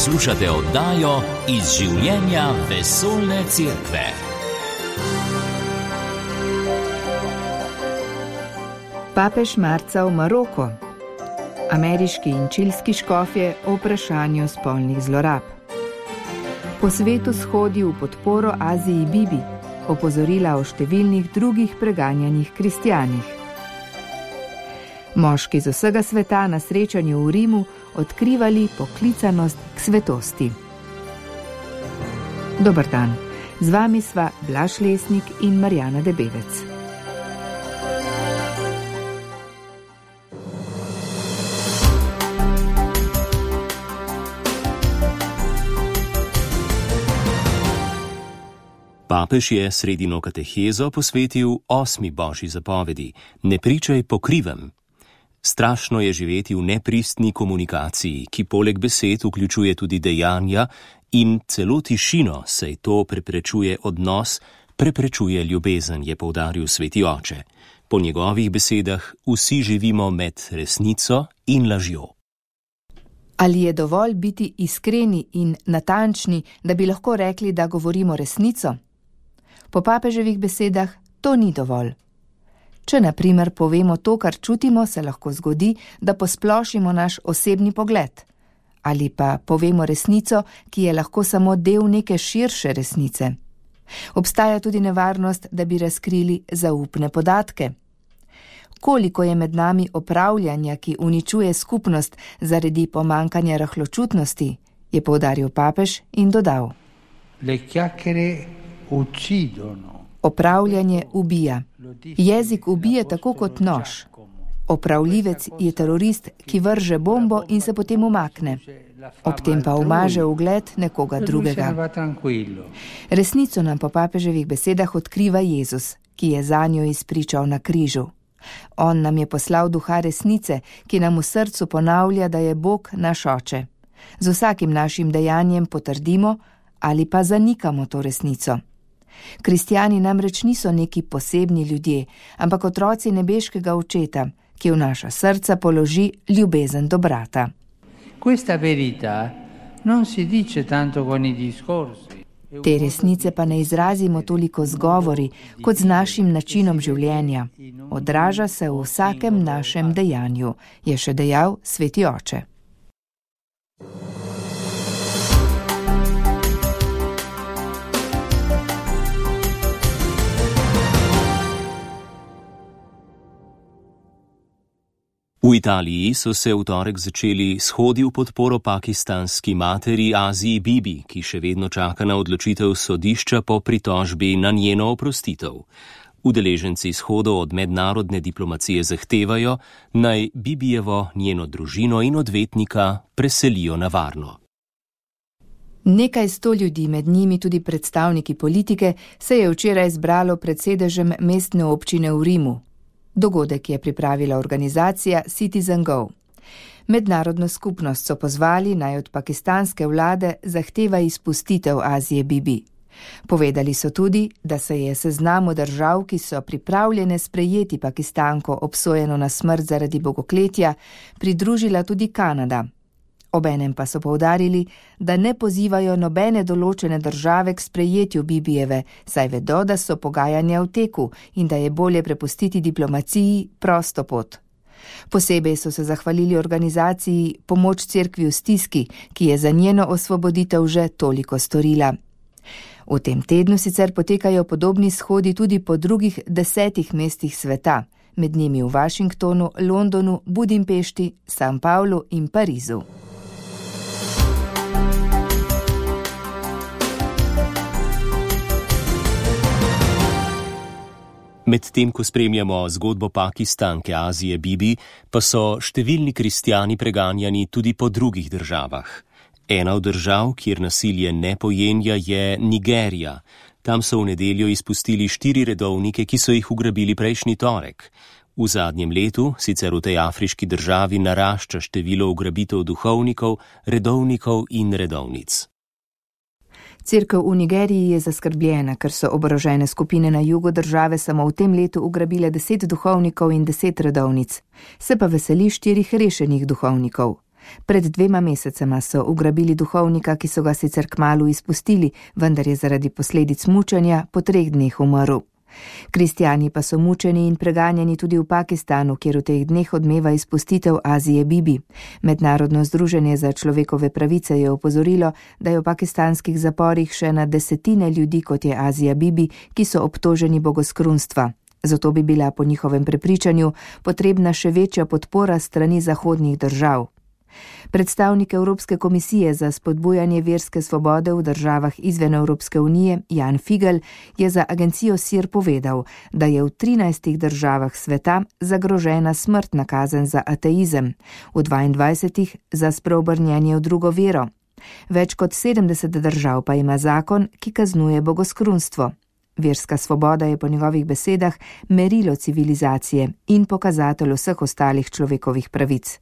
Poslušate oddajo Iz življenja vesoljne cerkve. Papež marca v Maroko. Ameriški in čilski škofje o vprašanju spolnih zlorab. Po svetu shodi v podporo Aziji Bibi, opozorila o številnih drugih preganjanih kristjanih. Moški z vsega sveta na srečanju v Rimu odkrivali poklicanost k svetosti. Dober dan, z vami sva Blaž Lesnik in Marjana Debevec. Papež je sredino katehezo posvetil 8. božji zapovedi: ne pričaj po krivem. Strašno je živeti v nepristni komunikaciji, ki poleg besed vključuje tudi dejanja in celo tišino, saj to preprečuje odnos, preprečuje ljubezen, je poudaril sveti oče. Po njegovih besedah vsi živimo med resnico in lažjo. Ali je dovolj biti iskreni in natančni, da bi lahko rekli, da govorimo resnico? Po papeževih besedah to ni dovolj. Če na primer povemo to, kar čutimo, se lahko zgodi, da posplošimo naš osebni pogled. Ali pa povemo resnico, ki je lahko samo del neke širše resnice. Obstaja tudi nevarnost, da bi razkrili zaupne podatke. Koliko je med nami opravljanja, ki uničuje skupnost zaradi pomankanja rahločutnosti, je poudaril papež in dodal: Le chiacchiere uccidono. Opravljanje ubija. Jezik ubije tako kot nož. Opravljivec je terorist, ki vrže bombo in se potem umakne. Ob tem pa umaže ugled nekoga drugega. Resnico nam po papeževih besedah odkriva Jezus, ki je zanjo izpričal na križu. On nam je poslal duha resnice, ki nam v srcu ponavlja, da je Bog naš oče. Z vsakim našim dejanjem potrdimo ali pa zanikamo to resnico. Kristjani namreč niso neki posebni ljudje, ampak otroci nebeškega očeta, ki v naša srca položi ljubezen do brata. Questa verità non si dice tanto con i discorsi. Te resnice pa ne izrazimo toliko z govori, kot z našim načinom življenja. Odraža se v vsakem našem dejanju, je še dejal sveti oče. V Italiji so se v torek začeli shodi v podporo pakistanski materi Aziji Bibi, ki še vedno čaka na odločitev sodišča po pritožbi na njeno oprostitev. Udeleženci shodov od mednarodne diplomacije zahtevajo, naj Bibijevo, njeno družino in odvetnika preselijo na varno. Nekaj 100 ljudi, med njimi tudi predstavniki politike, se je včeraj zbralo pred sedežem mestne občine v Rimu. Dogodek je pripravila organizacija Citizen Go. Mednarodno skupnost so pozvali, naj od pakistanske vlade zahteva izpustitev Azije Bibi. Povedali so tudi, da se je seznamu držav, ki so pripravljene sprejeti Pakistanko obsojeno na smrt zaradi bogokletja, pridružila tudi Kanada. Obenem pa so poudarili, da ne pozivajo nobene določene države k sprejetju Bibijeve, saj vedo, da so pogajanja v teku in da je bolje prepustiti diplomaciji prosto pot. Posebej so se zahvalili organizaciji Pomoč cerkvi v stiski, ki je za njeno osvoboditev že toliko storila. V tem tednu sicer potekajo podobni shodi tudi po drugih 10 mestih sveta, med njimi v Washingtonu, Londonu, Budimpešti, San Pavlu in Parizu. Medtem ko spremljamo zgodbo pakistanke Azije Bibi, pa so številni kristjani preganjani tudi po drugih državah. Ena od držav, kjer nasilje ne pojenja, je Nigerija. Tam so v nedeljo izpustili 4 redovnike, ki so jih ugrabili prejšnji torek. V zadnjem letu sicer v tej afriški državi narašča število ugrabitev duhovnikov, redovnikov in redovnic. Cerkev v Nigeriji je zaskrbljena, ker so oborožene skupine na jugu države samo v tem letu ugrabile 10 duhovnikov in 10 redovnic. Se pa veseli 4 rešenih duhovnikov. Pred 2 mesecema so ugrabili duhovnika, ki so ga sicer kmalu izpustili, vendar je zaradi posledic mučenja po 3 dneh umrl. Kristjani pa so mučeni in preganjani tudi v Pakistanu, kjer v teh dneh odmeva izpustitev Azije Bibi. Mednarodno združenje za človekove pravice je opozorilo, da je v pakistanskih zaporih še na 10 ljudi, kot je Azija Bibi, ki so obtoženi bogoskrunstva. Zato bi bila po njihovem prepričanju potrebna še večja podpora strani zahodnih držav. Predstavnik Evropske komisije za spodbujanje verske svobode v državah izven Evropske unije, Jan Figel, je za agencijo SIR povedal, da je v 13 državah sveta zagrožena smrtna kazen za ateizem, v 22 za spreobrnjenje v drugo vero. Več kot 70 držav pa ima zakon, ki kaznuje bogoskrunstvo. Verska svoboda je po njegovih besedah merilo civilizacije in pokazatelj vseh ostalih človekovih pravic.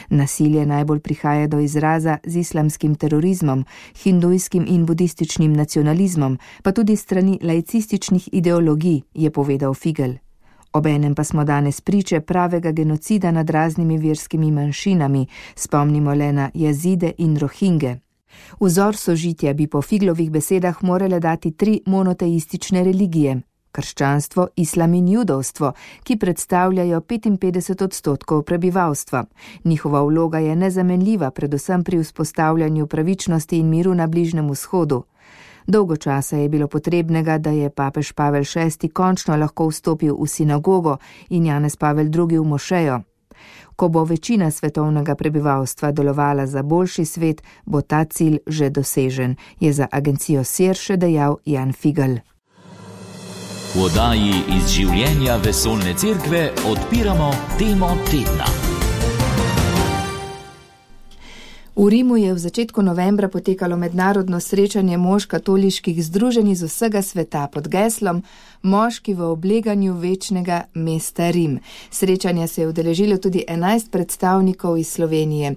Nasilje najbolj prihaja do izraza z islamskim terorizmom, hindujskim in budističnim nacionalizmom, pa tudi strani laicističnih ideologij, je povedal Figel. Obenem pa smo danes priče pravega genocida nad raznimi verskimi manjšinami, spomnimo le na Jazide in Rohinge. Vzor sožitja bi po Figlovih besedah morale dati 3 monoteistične religije: krščanstvo, islam in judovstvo, ki predstavljajo 55% prebivalstva. Njihova vloga je nezamenljiva, predvsem pri vzpostavljanju pravičnosti in miru na Bližnjem vzhodu. Dolgo časa je bilo potrebnega, da je papež Pavel VI končno lahko vstopil v sinagogo in Janez Pavel II v mošejo. Ko bo večina svetovnega prebivalstva delovala za boljši svet, bo ta cilj že dosežen, je za agencijo SIR še dejal Jan Figel. V oddaji iz življenja vesoljne cerkve odpiramo temo tedna. V Rimu je v začetku novembra potekalo mednarodno srečanje mož katoliških združenj iz vsega sveta pod geslom Moški v obleganju večnega mesta Rim. Srečanja se je udeležilo tudi 11 predstavnikov iz Slovenije.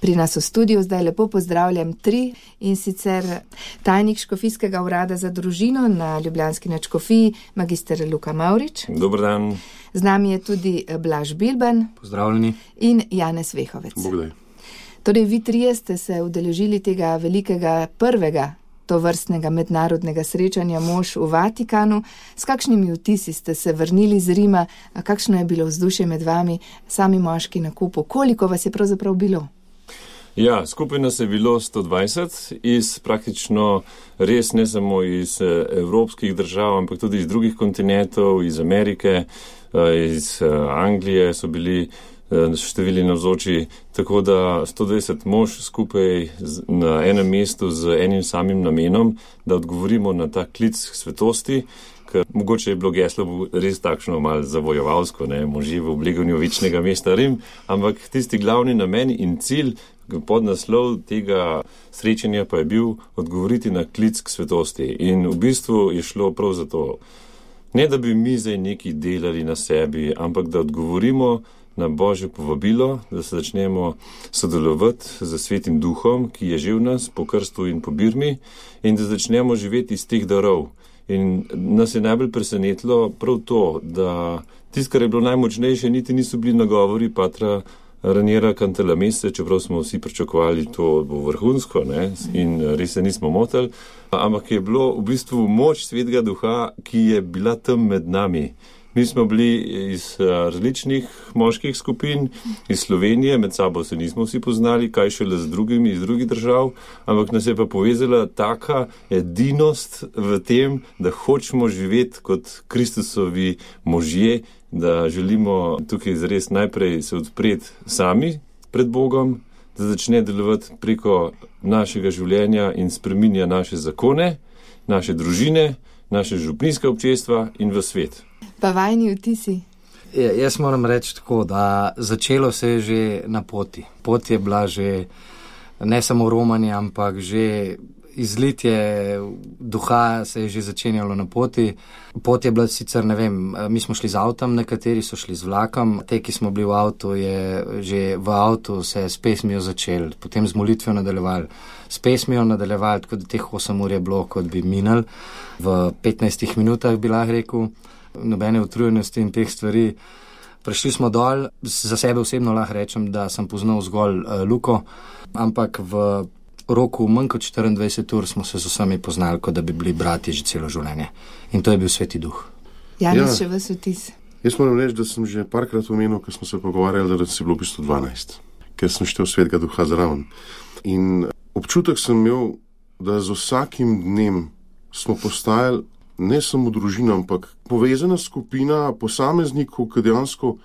Pri nas v studiu zdaj lepo pozdravljam 3, in sicer tajnik Škofijskega urada za družino na ljubljanski nadškofiji, magister Luka Mavrič. Dober dan. Z nami je tudi Blaž Bilban. Pozdravljeni. In Janez Vehovec. Bogdaj. Torej, vi 3 ste se udeležili tega velikega prvega tovrstnega mednarodnega srečanja mož v Vatikanu. S kakšnimi vtisi ste se vrnili z Rima? Kakšno je bilo vzdušje med vami, sami moški na kupu? Koliko vas je pravzaprav bilo? Ja, skupaj nas je bilo 120 iz praktično res ne samo iz evropskih držav, ampak tudi iz drugih kontinentov, iz Amerike, iz Anglije so bili številni navzoči, tako da 120 mož skupaj na enem mestu z enim samim namenom, da odgovorimo na ta klic svetosti, ker mogoče je bilo geslo res takšno malo zavojevalsko, možje v obleganju večnega mesta Rim, ampak tisti glavni namen in cilj, podnaslov tega srečanja pa je bil odgovoriti na klic k svetosti. In v bistvu je šlo prav za to, ne da bi mi zdaj nekaj delali na sebi, ampak da odgovorimo na Božje povabilo, da se začnemo sodelovati z Svetim Duhom, ki je že v nas po krstu in po birmi, in da začnemo živeti iz teh darov. In nas je najbolj presenetilo prav to, da tisto, kar je bilo najmočnejše, niti niso bili nagovori patra Raniera Cantalamesse, čeprav smo vsi pričakovali, to bo vrhunsko, in res se nismo motili, ampak je bilo v bistvu moč Svetega Duha, ki je bila tam med nami. Mi smo bili iz različnih moških skupin, iz Slovenije, med sabo se nismo vsi poznali, kaj šele z drugimi iz drugih držav, ampak nas je pa povezala taka edinost v tem, da hočemo živeti kot Kristusovi možje, da želimo tukaj zares najprej se odpreti sami pred Bogom, da začne delovati preko našega življenja in spreminja naše zakone, naše družine, naše župnijske občestva in v svet. Pa vajni vtisi? Jaz moram reči tako, da začelo se je že na poti. Pot je bila že ne samo romanje, ampak že izlitje duha se je že začenjalo na poti. Pot je bila sicer, mi smo šli z avtom, nekateri so šli z vlakom. Te, ki smo bili v avtu, je že v avtu se s pesmijo začel, potem z molitvijo nadaljevali. S pesmijo nadaljevali, tako da teh 8 ur je bilo, kot bi minili. V 15 minutah bi lahko rekel, nobene utrujenosti in teh stvari. Prišli smo dol, za sebe osebno lahko rečem, da sem poznal zgolj Luko, ampak v roku manj kot 24 ur smo se z vsemi poznali, kot da bi bili bratje že celo življenje. In to je bil Sveti Duh. Janez, še vas vtis? Jaz moram reči, da sem že parkrat omenil, ko smo se pogovarjali, da si bilo v bistvu 12, ker sem štel Svetega Duha zraven. In občutek sem imel, da z vsakim dnem smo postajali ne samo družina, ampak povezana skupina posameznikov, ki dejansko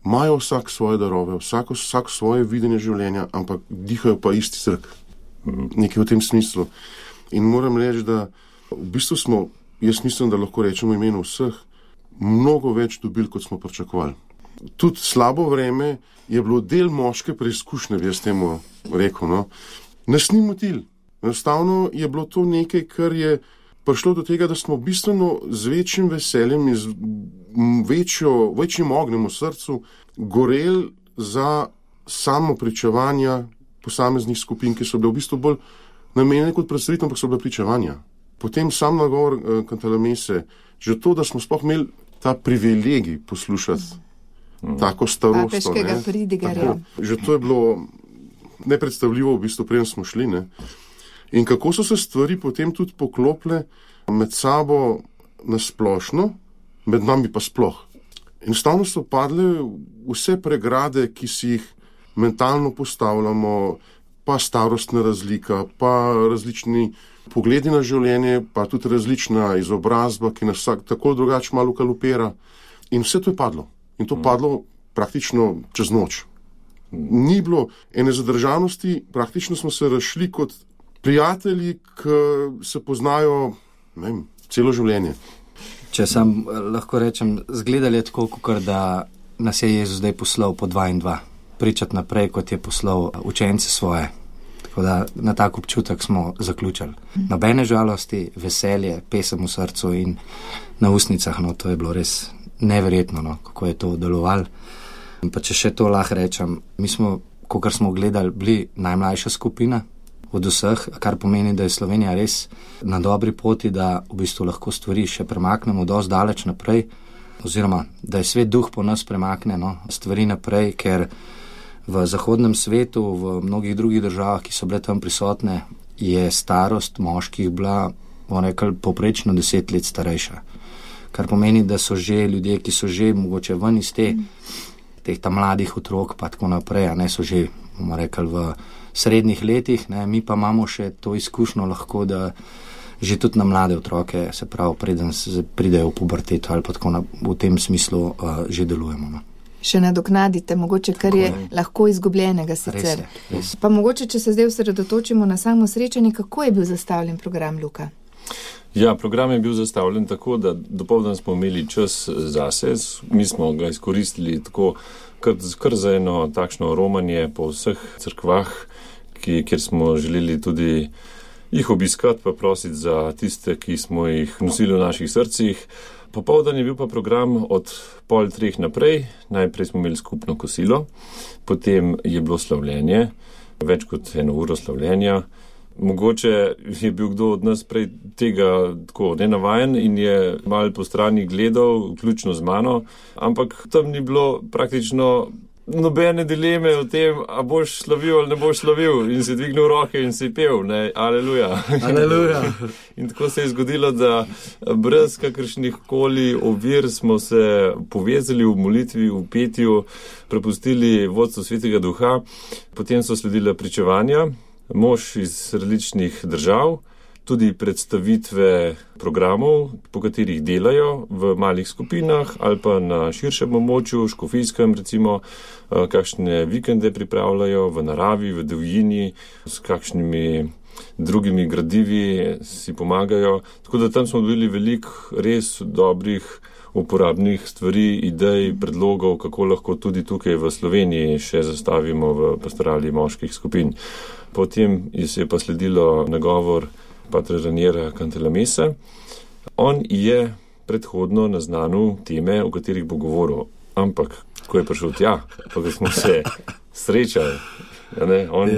imajo vsak svoje darove, vsak svoje videnje življenja, ampak dihajo pa isti zrak. Nekaj v tem smislu. In moram reči, da v bistvu smo, jaz mislim, da lahko rečemo v imenu vseh, mnogo več dobili, kot smo pričakovali. Tudi slabo vreme je bilo del moške preizkušnje, bi jaz temu rekel, no. Nas ni motil. Enostavno je bilo to nekaj, kar je prišlo do tega, da smo bistveno z večjim veseljem in z večjim ognjem v srcu goreli za samo pričevanja posameznih skupin, ki so bile v bistvu bolj namenjene kot predstavitev, ampak so bile pričevanja. Potem sam nagovor Kantalamese, že to, da smo sploh imeli ta privilegij poslušati tako starosto. Papeškega pridigarja. Že to je bilo nepredstavljivo, v bistvu preden smo šli, ne. In kako so se stvari potem tudi poklopile med sabo nasplošno, med nami pa sploh. Enostavno so padle vse pregrade, ki si jih mentalno postavljamo, pa starostna razlika, pa različni pogledi na življenje, pa tudi različna izobrazba, ki nas vsak tako drugače malo kalupira. In vse to je padlo. In to padlo praktično čez noč. Ni bilo ene zadržanosti, praktično smo se razšli kot prijatelji, ki se poznajo, ne vem, celo življenje. Če sam lahko rečem, zgledali je tako, kot da nas je Jezus zdaj poslal po 2 in 2. Pričati naprej, kot je poslal učence svoje. Tako da na tak občutek smo zaključili. Nobene žalosti, veselje, pesem v srcu in na ustnicah, no, to je bilo res neverjetno, no, kako je to delovalo. Pa če še to lahko rečem, mi smo, kakor smo gledali, bili najmlajša skupina od vseh, kar pomeni, da je Slovenija res na dobri poti, da v bistvu lahko stvari še premaknemo dosti daleč naprej, oziroma da je Svet Duh po nas premakne, no, stvari naprej, ker v zahodnem svetu, v mnogih drugih državah, ki so bile tam prisotne, je starost moških bila, bomo rekli, povprečno 10 let starejša. Kar pomeni, da so že ljudje, ki so že mogoče ven iz teh tam mladih otrok, pa tako naprej, a ne, so že, bomo rekli, v srednjih letih, ne, mi pa imamo še to izkušnjo lahko, da že tudi na mlade otroke, se pravi, preden pridejo v puberteto ali pa tako v tem smislu že delujemo. No. Še nadoknadite, mogoče kar je lahko izgubljenega sicer. Res. Pa mogoče, če se zdaj osredotočimo na samo srečanje, kako je bil zastavljen program, Luka? Ja, program je bil zastavljen tako, da dopoldan smo imeli čas zase, mi smo ga izkoristili tako kar za eno takšno romanje po vseh cerkvah, kjer smo želeli tudi jih obiskati, pa prositi za tiste, ki smo jih nosili v naših srcih. Popoldan je bil pa program od 2:30 naprej, najprej smo imeli skupno kosilo, potem je bilo slavljenje, več kot 1 uro slavljenja. Mogoče je bil kdo od nas prej tega tako nenavajen in je malo po strani gledal, vključno z mano, ampak tam ni bilo praktično nobene dileme o tem, a boš slavil ali ne boš slavil, in si dvignil roke in si pel, ne, aleluja. Aleluja. In tako se je zgodilo, da brez kakršnih koli ovir smo se povezali v molitvi, v petju, prepustili vodstvu Svetega Duha, potem so sledile pričevanja, mož iz različnih držav, tudi predstavitve programov, po katerih delajo v malih skupinah ali pa na širšem območju, škofijskem recimo, kakšne vikende pripravljajo v naravi, v divjini, s kakšnimi drugimi gradivi si pomagajo. Tako da tam smo dobili veliko res dobrih uporabnih stvari, idej, predlogov, kako lahko tudi tukaj v Sloveniji še zastavimo v pastorali moških skupin. Potem je pa sledilo nagovor patra Raniera Cantalamessa. On je predhodno naznanil teme, o katerih bo govoril, ampak ko je prišel tja, pa ko smo se srečali, on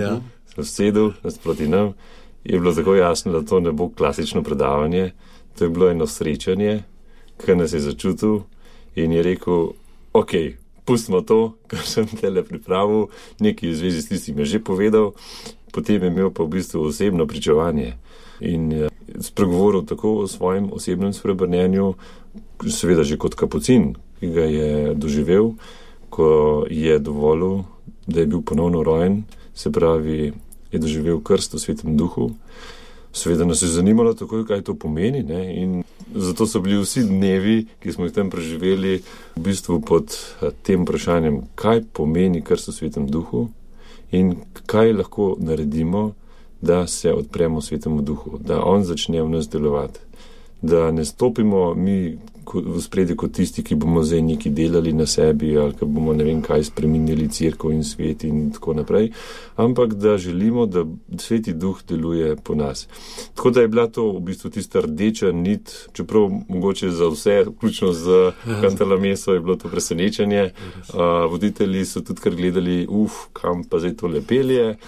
se sedel nasproti nam, je bilo tako jasno, da to ne bo klasično predavanje, to je bilo eno srečanje, ki nas je začutil in je rekel, ok, pustimo to, kar sem tele pripravil, nekaj v zvezi s tistim je že povedal, potem je imel pa v bistvu osebno pričevanje in spregovoril tako o svojem osebnem spreobrnenju, seveda že kot kapucin, ki ga je doživel, ko je dovolil, da je bil ponovno rojen, se pravi, je doživel krst v Svetem Duhu. Seveda nas je zanimalo takoj, kaj to pomeni, ne? In zato so bili vsi dnevi, ki smo jih tam preživeli, v bistvu pod tem vprašanjem, kaj pomeni krst v Svetem Duhu in kaj lahko naredimo, da se odpremo Svetemu Duhu, da on začne v nas delovati, da ne stopimo mi v spredje kot tisti, ki bomo zdaj nekaj delali na sebi ali ki bomo ne vem kaj spreminjali cerkev in svet in tako naprej, ampak da želimo, da Sveti Duh deluje po nas. Tako da je bila to v bistvu tista rdeča nit, čeprav mogoče za vse, vključno z Cantalameso je bilo to presenečenje. Voditelji so tudi kar gledali, kam pa zdaj to lepelje.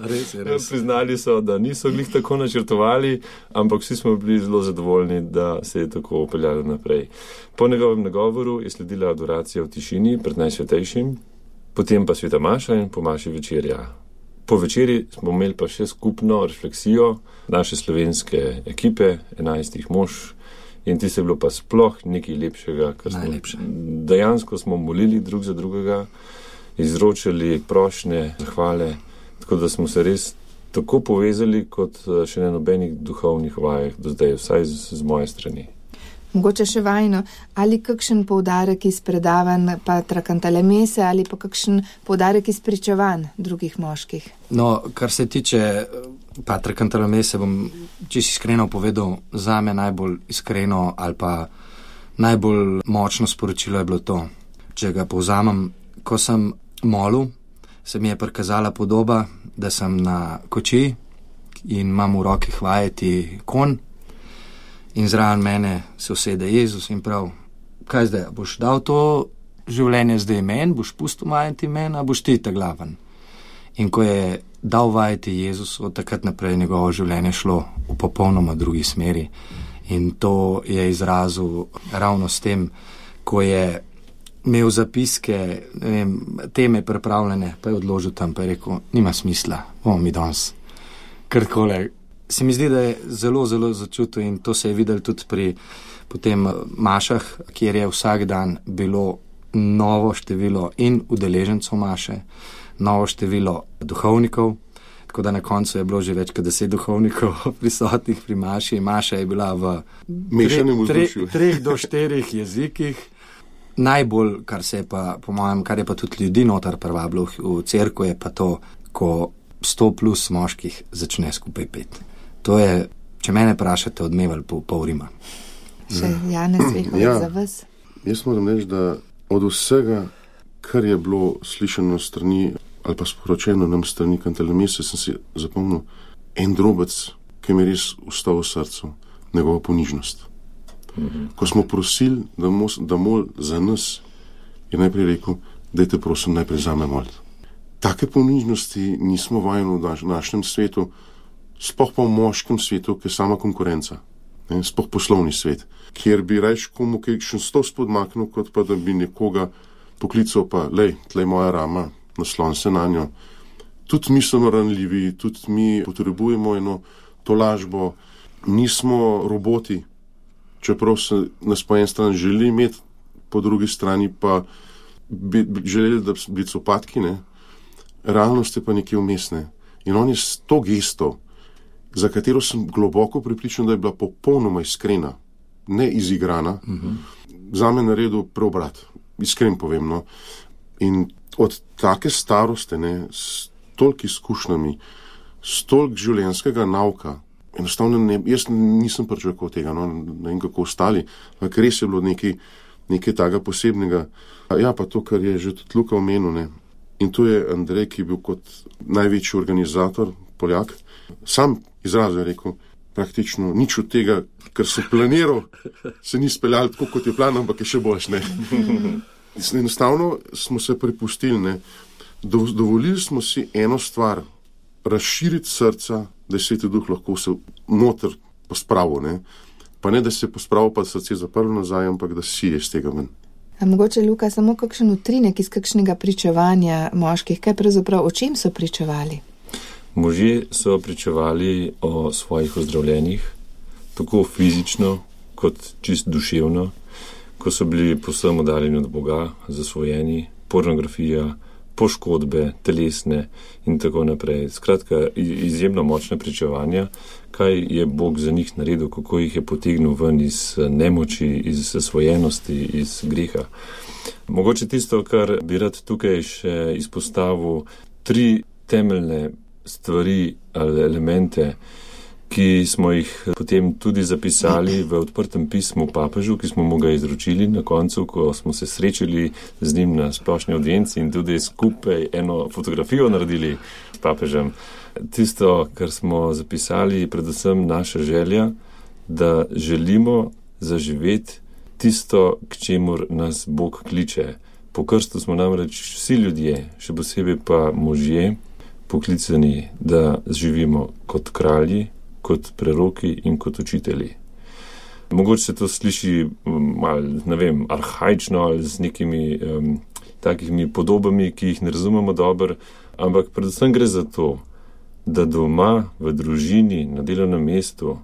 Res. Priznali so, da niso glih tako načrtovali, ampak vsi smo bili zelo zadovoljni, da se je tako upeljalo naprej. Po njegovem nagovoru je sledila adoracija v tišini pred Najsvetejšim, potem pa sveta maša in po maši večerja. Po večeri smo imeli pa še skupno refleksijo naše slovenske ekipe, 11 mož, in ti se je bilo pa sploh nekaj lepšega, ker dejansko smo molili drug za drugega, izročili prošnje, zahvale, tako da smo se res tako povezali kot še na nobenih duhovnih vajah do zdaj, vsaj z moje strani. Mogoče še vajno, ali kakšen poudarek iz predavanj patra Cantalamese ali pa kakšen poudarek iz pričevanj drugih moških? No, kar se tiče patra Cantalamese, bom čisto iskreno povedal, zame najbolj iskreno ali pa najbolj močno sporočilo je bilo to. Če ga povzamem, ko sem molil, se mi je prikazala podoba, da sem na koči in imam v roki vajeti konj, in zraven mene se usede Jezus in prav, kaj zdaj, boš dal to življenje zdaj meni, boš pustil vajeti meni, a boš ti ta glaven. In ko je dal vajeti Jezus, od takrat naprej njegovo življenje šlo v popolnoma drugi smeri. In to je izrazil ravno s tem, ko je imel zapiske, ne vem, teme pripravljene, pa je odložil tam, pa je rekel, nima smisla, bomo mi danes kar takole. Se mi zdi, da je zelo, zelo začutil in to se je videl tudi pri potem mašah, kjer je vsak dan bilo novo število in udeležencev maše, novo število duhovnikov, tako da na koncu je bilo že več kot 10 duhovnikov prisotnih pri maši. Maša je bila v 3 do 4 jezikih. Najbolj, kar se je pa, po mojem, kar je pa tudi ljudi notar privabilo v cerkvu, je pa to, ko 100 plus moških začne skupaj peti. To je, če mene vprašate, odmeval pol Rima. Še Janez Vehovic za vas? Jaz moram reči, da od vsega, kar je bilo slišano strani ali pa sporočeno nam strani Cantalamese, sem si zapomnil en drobec, ki mi je res ustal v srcu, njegova ponižnost. Ko smo prosili, da mol za nas, je najprej rekel, dajte prosim najprej zame moliti. Take ponižnosti nismo vajeni v našem svetu, sploh pa v moškem svetu, ki je sama konkurenca, sploh poslovni svet, kjer bi rajš komu kakšen stol spodmaknil, kot pa da bi nekoga poklical pa, lej, tlej moja rama, naslon se na njo. Tudi mi smo ranljivi, tudi mi potrebujemo eno tolažbo, nismo roboti, čeprav se nas po en stran želi imeti, po drugi strani pa bi želeli, da bi bili copatki, ne? Realnost je pa nekje vmesne. In on je s to gesto, za katero sem globoko prepričan, da je bila popolnoma iskrena, ne izigrana, zame naredil preobrat, iskren povem, no. In od take starosti, ne, s toliko izkušnjami, s toliko življenjskega nauka, enostavno jaz nisem pričakoval tega, no, ne vem kako ostali, ampak res je bilo nekaj takega posebnega. Ja, pa to, kar je že tudi Luka omenil, ne. In to je Andrej, ki je bil kot največji organizator, Poljak, sam izrazil je rekel, praktično nič od tega, kar sem planiral, se ni speljal tako, kot je plan, ampak je še boljš, ne. Enostavno smo se prepustili, ne. Dovolili smo si eno stvar, razširiti srca, da je Sveti Duh lahko se noter pospravil, ne. Pa ne, da se je pospravil, pa srce zaprlo nazaj, ampak da si je z tega ven. A mogoče, Luka, samo kakšen utrinek iz kakšnega pričevanja moških, kaj pravzaprav, o čem so pričevali? Možje so pričevali o svojih ozdravljenjih, tako fizično kot čist duševno, ko so bili povsem oddaljeni od Boga, zasvojeni, pornografija, poškodbe, telesne in tako naprej. Skratka, izjemno močne pričevanja, kaj je Bog za njih naredil, kako jih je potegnil ven iz nemoči, iz zasvojenosti, iz greha. Mogoče tisto, kar bi rad tukaj še izpostavil, 3 temeljne stvari ali elemente, ki smo jih potem tudi zapisali v odprtem pismu papežu, ki smo mu ga izročili na koncu, ko smo se srečali z njim na splošni audienci in tudi skupaj eno fotografijo naredili s papežem. Tisto, kar smo zapisali, je predvsem naša želja, da želimo zaživeti tisto, k čemur nas Bog kliče. Po krstu smo namreč vsi ljudje, še posebej pa možje, poklicani, da živimo kot kralji, kot preroki in kot učitelji. Mogoče se to sliši malo, ne vem, arhaično ali z nekimi takimi podobami, ki jih ne razumemo dobro, ampak predvsem gre za to, da doma, v družini, na delovnem mestu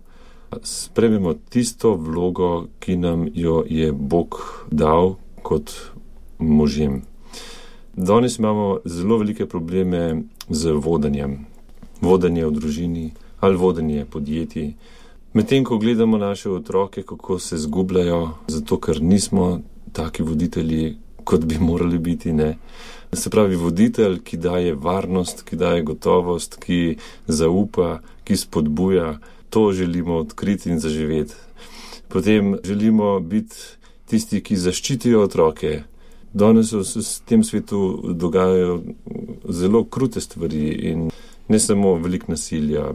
sprejmemo tisto vlogo, ki nam jo je Bog dal kot možem. Danes imamo zelo velike probleme z vodenjem. Vodenje v družini ali vodenje podjetij. Medtem, ko gledamo naše otroke, kako se zgubljajo, zato ker nismo taki voditelji, kot bi morali biti, ne. Se pravi, voditelj, ki daje varnost, ki daje gotovost, ki zaupa, ki spodbuja, to želimo odkriti in zaživeti. Potem želimo biti tisti, ki zaščitijo otroke. Danes se v tem svetu dogajajo zelo krute stvari in ne samo veliko nasilja.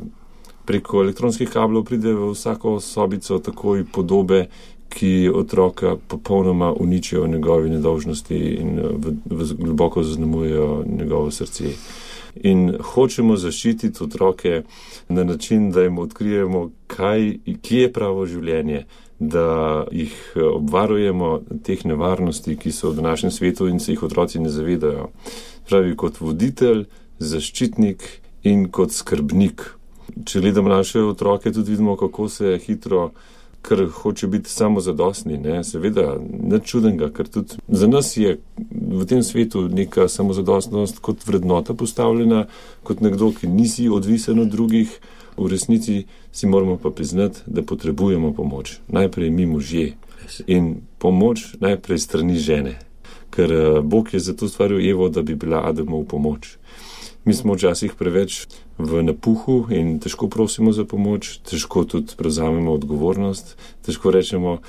Preko elektronskih kablov pride v vsako sobico takoj podobe, ki otroka popolnoma uničijo njegove nedolžnosti in globoko zaznamujejo njegovo srce. In hočemo zaščititi otroke na način, da jim odkrijemo, kje je pravo življenje, da jih obvarujemo teh nevarnosti, ki so v današnjem svetu in se jih otroci ne zavedajo. Pravi, kot voditelj, zaščitnik in kot skrbnik. Če gledamo naše otroke, tudi vidimo, kako se hitro, ker hoče biti samozadostni, ne, seveda, nič čudenega, ker tudi za nas je v tem svetu neka samozadostnost kot vrednota postavljena, kot nekdo, ki nisi odvisen od drugih, v resnici si moramo pa priznati, da potrebujemo pomoč. Najprej mi možje in pomoč najprej strani žene, ker Bog je zato stvaril Evo, da bi bila Adamu v pomoč. Mi smo včasih preveč v napuhu in težko prosimo za pomoč, težko tudi prevzamemo odgovornost, težko rečemo,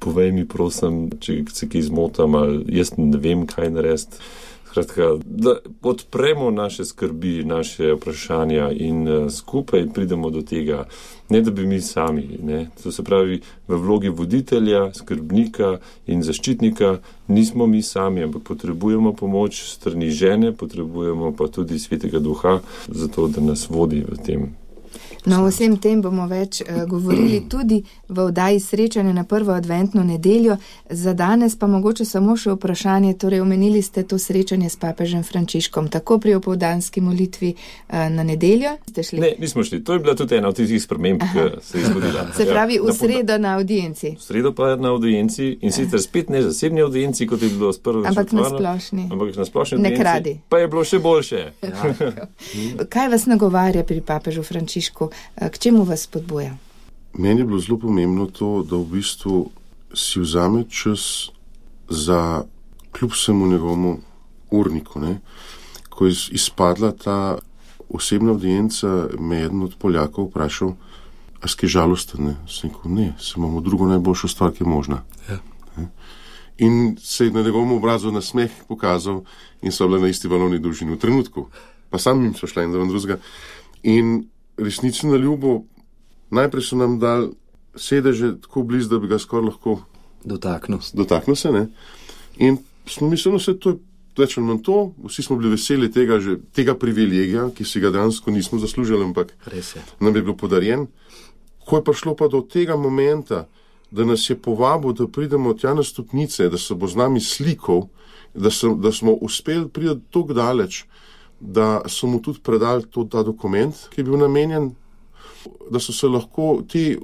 povej mi prosim, če se kaj zmotam ali jaz ne vem, kaj narediti. Skratka, da odpremo naše skrbi, naše vprašanja in skupaj pridemo do tega, ne da bi mi sami, ne. To se pravi, v vlogi voditelja, skrbnika in zaščitnika nismo mi sami, ampak potrebujemo pomoč strani žene, potrebujemo pa tudi Svetega Duha, zato da nas vodi v tem. No, o vsem tem bomo več govorili tudi v oddaji Srečanje na prvo adventno nedeljo. Za danes pa mogoče samo še vprašanje, torej omenili ste to srečanje s papežem Frančiškom, tako pri opoldanski molitvi na nedeljo. Ste šli? Ne, nismo šli. To je bila tudi ena od tistih sprememb, ki se je zgodila. Se pravi, v sredo na audienci. V sredo pa na audienci in sicer spet ne zasebni audienci, kot je bilo s prvo ampak na splošni. Ampak na splošni audienci. Ne kradi. Pa je bilo še boljše. Ja. Kaj vas nagovarja pri papežu Frančišku? K čemu vas spodbuja? Meni je bilo zelo pomembno to, da v bistvu si vzame čas za kljub vsemu njegovemu urniku. Ne? Ko je izpadla ta osebna audienca, me je eden od Poljakov vprašal, a si žalosten? Sem rekel, ne, se imamo drugo najboljšo stvar, ki je možna. Ja. In se je na njegovem obrazu nasmeh pokazal in so bile na isti valovni dolžini v trenutku. Pa sam jim so šla in drugega. In resnično na ljubo, najprej so nam dali sedeže tako blizu, da bi ga skoraj lahko dotaknil se, ne. In smo mislili, vse to je več ali manj to, vsi smo bili veseli tega privilegija, ki si ga dejansko nismo zaslužili, ampak nam je bilo podarjen. Ko je prišlo pa do tega momenta, da nas je povabil, da pridemo tja na stopnice, da se bo z nami slikal, da smo uspeli priti tako daleč, da so mu tudi predali ta dokument, ki je bil namenjen, da so se lahko ti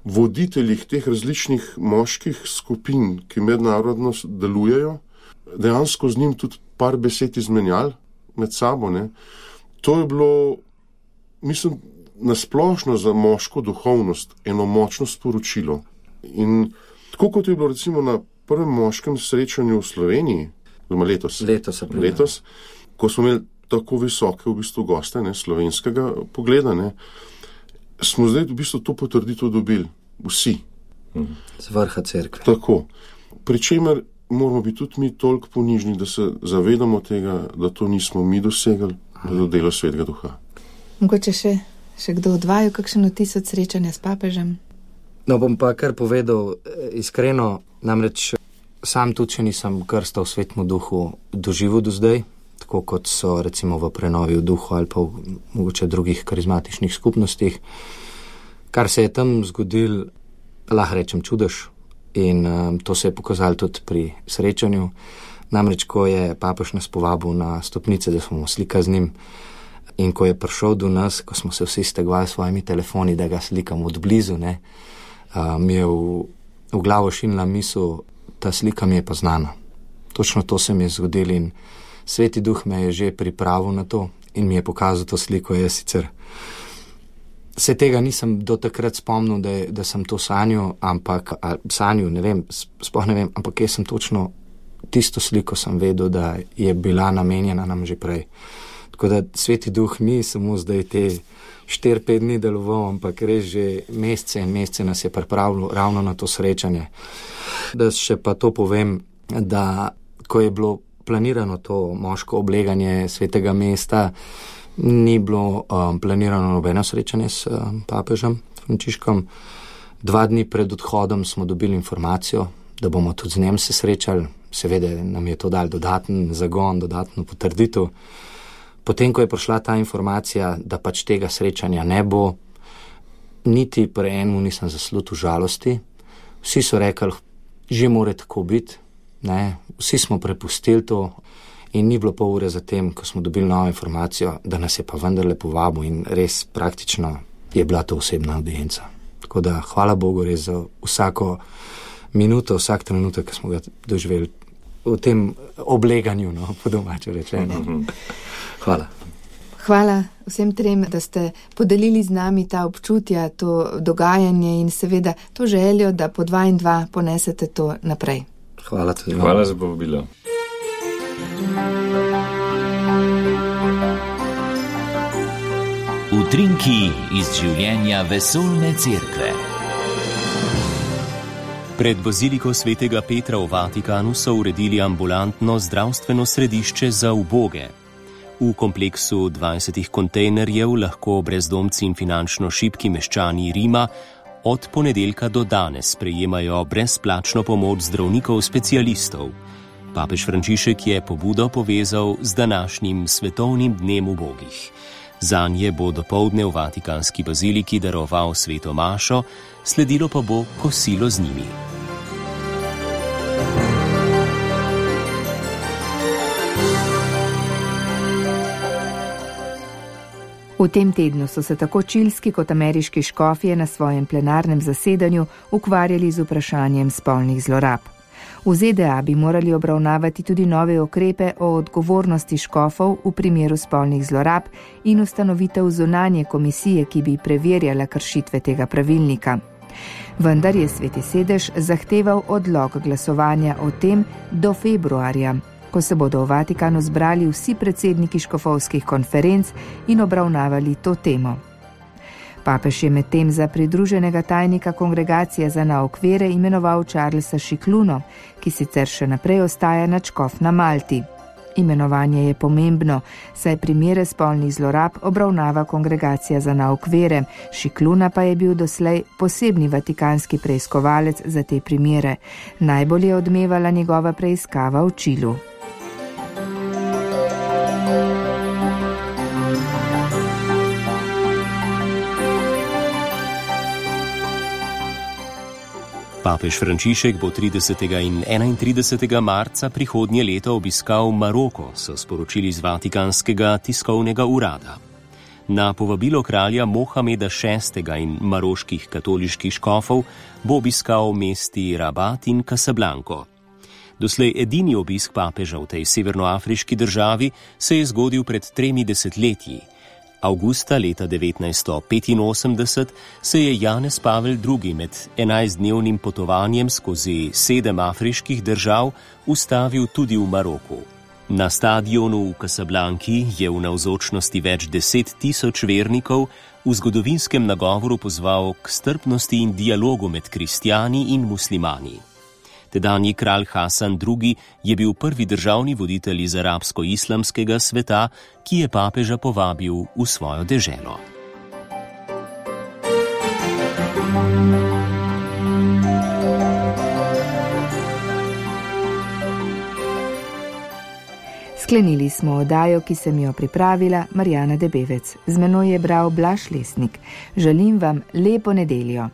voditelji teh različnih moških skupin, ki mednarodno delujejo, dejansko z njim tudi par besed izmenjali med sabo. Ne. To je bilo, mislim, nasplošno za moško duhovnost eno močno sporočilo. In tako kot je bilo recimo na prvem moškem srečanju v Sloveniji, letos, ko smo imeli tako visoke v bistvu goste, ne, slovenskega pogleda, ne, smo zdaj v bistvu to potrditev dobili vsi. Z vrha cerkve. Tako. Pričemer moramo biti tudi mi toliko ponižni, da se zavedamo tega, da to nismo mi dosegli, da je to delo Svetega Duha. Mogoče še kdo od vaju, kakšen vtis od srečanja s papežem? No, bom pa kar povedal iskreno, namreč sam tudi, če nisem krsta v Svetemu Duhu doživel do zdaj, tako kot so recimo v prenovi v duhu ali pa v mogoče drugih karizmatičnih skupnostih. Kar se je tam zgodil, lahko rečem čudež, in to se je pokazalo tudi pri srečanju. Namreč, ko je papež nas povabil na stopnice, da smo slika z njim, in ko je prišel do nas, ko smo se vsi stegvali s svojimi telefoni, da ga slikam od blizu, ne, mi je v glavo šinila misel, ta slika mi je pa znana. Točno to se mi je zgodilo in Sveti Duh me je že pripravil na to in mi je pokazal to sliko. Jaz sicer se tega nisem do takrat spomnil, da sem to sanjal, ne vem, sploh ne vem, ampak jaz sem točno tisto sliko sem vedel, da je bila namenjena nam že prej. Tako da Sveti Duh ni samo zdaj te 4-5 dni deloval, ampak res že mesece in mesece nas je pripravil ravno na to srečanje. Da še pa to povem, da ko je bilo planirano to moško obleganje svetega mesta, ni bilo planirano nobeno srečanje s papežem Frančiškom. 2 dni pred odhodom smo dobili informacijo, da bomo tudi z njem se srečali. Seveda nam je to dal dodaten zagon, dodatno potrditev. Potem, ko je prišla ta informacija, da pač tega srečanja ne bo, niti pri enemu nisem zaslutil žalosti. Vsi so rekli, že mora tako biti, ne? Vsi smo prepustili to in ni bilo pol ure zatem, ko smo dobili novo informacijo, da nas je pa vendarle povabil in res praktično je bila to osebna audienca. Tako da hvala Bogu res za vsako minuto, vsak trenutek, ki smo ga doživeli v tem obleganju, no, po domače rečeno. Hvala. Hvala vsem trem, da ste podelili z nami ta občutja, to dogajanje in seveda to željo, da po 2 in 2 ponesete to naprej. Hvala tudi. Hvala za povabilo. Utrinki iz življenja vesoljne cerkve. Pred baziliko svetega Petra v Vatikanu so uredili ambulantno zdravstveno središče za uboge. V kompleksu 20 kontejnerjev lahko brezdomci in finančno šibki meščani Rima od ponedeljka do danes prejemajo brezplačno pomoč zdravnikov specialistov. Papež Frančišek je pobudo povezal z današnjim svetovnim dnem ubogih. Zanje bo dopoldne v Vatikanski baziliki daroval sveto mašo, sledilo pa bo kosilo z njimi. V tem tednu so se tako čilski kot ameriški škofje na svojem plenarnem zasedanju ukvarjali z vprašanjem spolnih zlorab. V ZDA bi morali obravnavati tudi nove ukrepe o odgovornosti škofov v primeru spolnih zlorab in ustanovitev zunanje komisije, ki bi preverjala kršitve tega pravilnika. Vendar je Sveti sedež zahteval odlog glasovanja o tem do februarja, ko se bodo v Vatikanu zbrali vsi predsedniki škofovskih konferenc in obravnavali to temo. Papež je medtem za pridruženega tajnika Kongregacije za nauk vere imenoval Charlesa Šikluno, ki sicer še naprej ostaja nadškof na Malti. Imenovanje je pomembno, saj primere spolnih zlorab obravnava Kongregacija za nauk vere. Šikluna pa je bil doslej posebni vatikanski preiskovalec za te primere. Najbolj je odmevala njegova preiskava v Čilu. Papež Frančišek bo 30. in 31. marca prihodnje leto obiskal Maroko, so sporočili z Vatikanskega tiskovnega urada. Na povabilo kralja Mohameda VI. In maroških katoliških škofov bo obiskal mesti Rabat in Casablanco. Doslej edini obisk papeža v tej severnoafriški državi se je zgodil pred 3 desetletji. Avgusta leta 1985 se je Janez Pavel II. Med 11-dnevnim potovanjem skozi 7 afriških držav ustavil tudi v Maroku. Na stadionu v Casablanki je v navzočnosti več 10 000 vernikov v zgodovinskem nagovoru pozval k strpnosti in dialogu med kristjani in muslimani. Tedanji kralj Hasan II. Je bil prvi državni voditelj iz arabsko-islamskega sveta, ki je papeža povabil v svojo deželo. Sklenili smo oddajo, ki sem jo pripravila Marjana Debevec. Z menoj je bral Blaž Lesnik. Želim vam lepo nedeljo.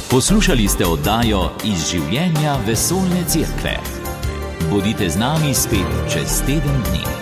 Poslušali ste oddajo Iz življenja vesoljne cerkve. Bodite z nami spet čez teden dni.